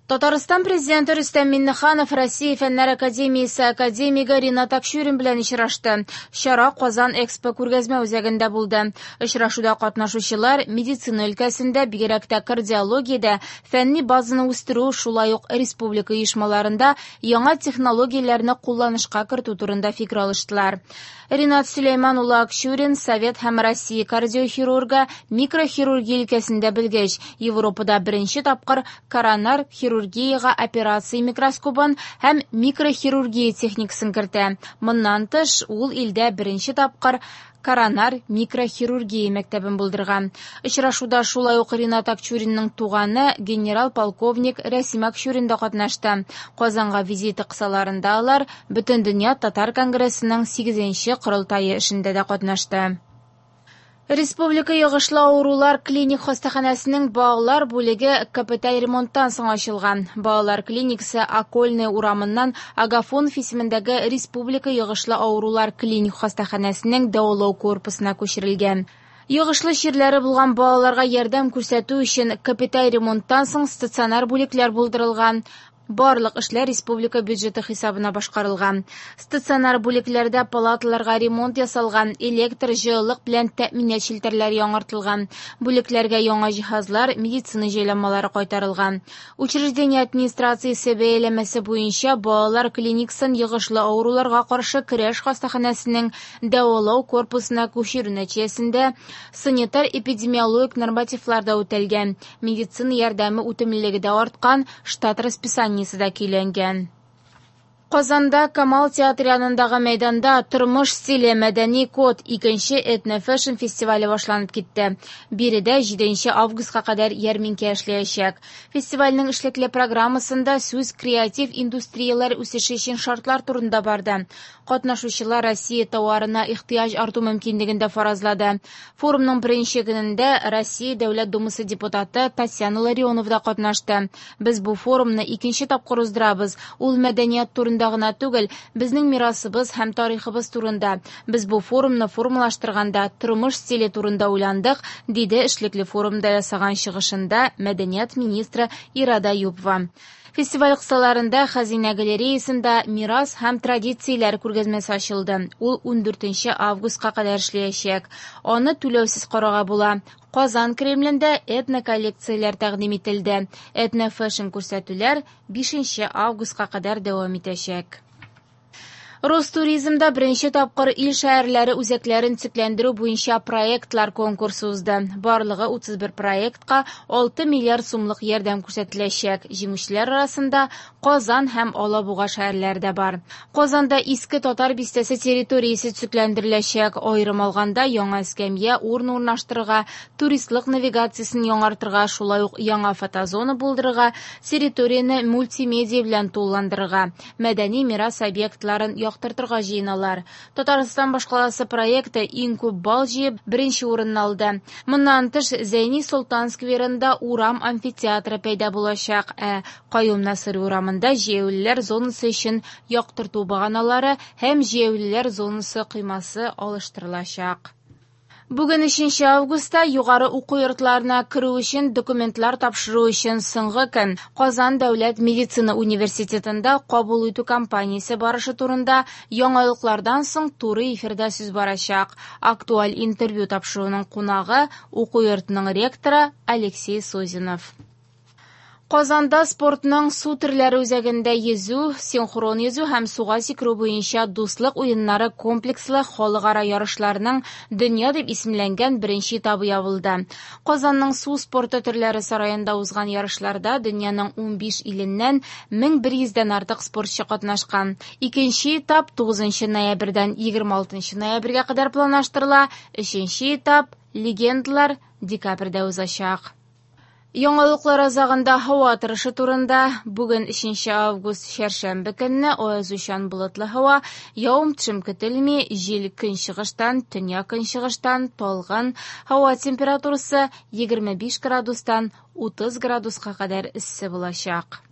Татарстан Президенты Рөстәм Миңнеханов Россия Фәннәр академиясе академигы Ренат Акчурин белән очрашты. Чара Казан Экспо күргәзмә үзәгендә булды. Очрашуда катнашучылар медицина өлкәсендә, бигрәк тә кардиологиядә фәнни базаны үстерү, шулай ук республика оешмаларында яңа технологияләрне кулланышка кертү турында фикер алыштылар. Ренат Сөләйман улы Акчурин Совет һәм Россия кардиохирургы, микрохирургия өлкәсендә белгеч, Европада беренче тапкыр коронар хирургиягә операция микроскобын һәм микрохирургия техникасын кертә. Моннан тыш, ул илдә беренче тапкыр коронар микрохирургия мәктәбен булдырган. Очрашуда шулай ук Ренат Акчуринның туганы генерал-полковник Рәсим Акчурин да катнашты. Казанга визиты кысаларында алар Бөтендөнья татар конгрессының 8нче корылтае эшендә дә катнашты. Республика йогышлы авырулар клиник хастаханәсенең балалар бүлеге капиталь ремонттан соң ачылган. Балалар клиникасы Окольная урамыннан Агафонов исемендәге Республика йогышлы авырулар клиник хастаханәсенең дәвалау корпусына күчерелгән. Йогышлы чирләре булган балаларга ярдәм күрсәтү өчен капиталь ремонттан соң стационар бүлекләр булдырылган. Барлык эшләр республика бюджеты хисабына башкарылган. Стационар бүлекләрдә палаталарга ремонт ясалган, электр, җылылык белән тәэминат челтәрләре яңартылган. Бүлекләргә яңа җиһазлар, медицина җайланмалары кайтарылган. Учреждение администрациясе бәяләмәсе буенча балалар клиникасын йогышлы авыруларга каршы көрәш хастаханәсенең дәвалау корпусына күчерү нәтиҗәсендә санитар-эпидемиологик нормативлар да үтәлгән, медицина ярдәме үтемлелеге дә арткан, штат расписаниесе дә көйләнгән. Казанда Камал театры янындагы мәйданда Тормыш стиле мәдәни код икенче этно-фэшн фестивале башланып китте. Биредә 7 августка кадәр ярминкә эшләячәк. Фестивальнең эшлекле программасында сүз креатив индустрияләр үсеше өчен шартлар турында барды. Катнашучылар Россия товарына ихтыяҗ арту мөмкинлеген дә фаразлады. Форумның беренче көнендә Россия Дәүләт Думасы депутаты Татьяна Ларионова да катнашты. Без бу форумны икенче тапкыр уздырабыз. Ул мәдәният турында гына түгел, безнең мирасыбыз һәм тарихыбыз турында. Без бу форумны формалаштырганда тормыш стиле турында уйландык, диде эшлекле форумда ясаган чыгышында мәдәният министры Ирада Юпова. Фестиваль кысаларында Хәзинә галереясында мирас һәм традицияләр күргәзмәсе ачылды. Ул 14 августка кадәр эшләячәк. Аны түләүсез карарга була. Казан Кремлендә этно-коллекцияләр тәкъдим ителде. Этно-фэшн күрсәтүләр 5 августка кадәр дәвам итәчәк. Ростуризмда беренче тапкыр ил шәһәрләре үзәкләрен төзекләндерү буенча проектлар конкурсы узды. Барлыгы 31 проектка 6 миллиард сумлык ярдәм күрсәтеләчәк. Җиңүчеләр арасында Казан һәм Алабуга шәһәрләре дә бар. Казанда Иске Татар бистәсе территориясе төзекләндереләчәк. Аерым алганда, яңа эскәмия, урын урнаштырырга, туристлык навигациясен яңартырга, шулай ук яңа фотозона булдырырга, территорияне мультимедиа белән тулыландырырга, мәдәни мирас объектларын яктыртырга җыеналар. Татарстан башкаласы проекты иң күп балл җыеп, беренче урынны алды. Моннан тыш, Зәйни Солтан скверында урам амфитеатры пәйда булачак, ә Каюм Насыйри урамында җәяүлеләр зонасы өчен яктырту баганалары һәм җәяүлеләр зонасы коймасы алыштырылачак. Бүген 3 августта югары уку йортларына керү өчен документлар тапшыру өчен соңгы көн. Казан дәүләт медицина университетында кабул итү кампаниясе барышы турында яңалыклардан соң туры эфирда сүз барачак. Актуаль интервью тапшыруның кунагы уку йортының ректоры Алексей Созинов. Казанда спортның су төрләре үзәгендә йөзү, синхрон йөзү һәм суга сикерү буенча дуслык уеннары комплекслы халыкара ярышларының Дөнья дип исемләнгән беренче этабы ябылды. Казанның су спорты төрләре сараенда узган ярышларда дөньяның 15 иленнән 1100дән артык спортчы катнашкан. Икенче этап 9 ноябрьдән 26 ноябрьгә кадәр планлаштырыла, өченче этап легендалар декабрьдә узачак. Яңалыклар азагында һава торышы турында. Бүген 3 август чәршәмбе көнне аязучан болытлы һава, явым-төшем көтелми, җил көнчыгыштан, төньяк көнчыгыштан талгын, һава температурасы 25 градустан 30 градуска кадәр эссе булачак.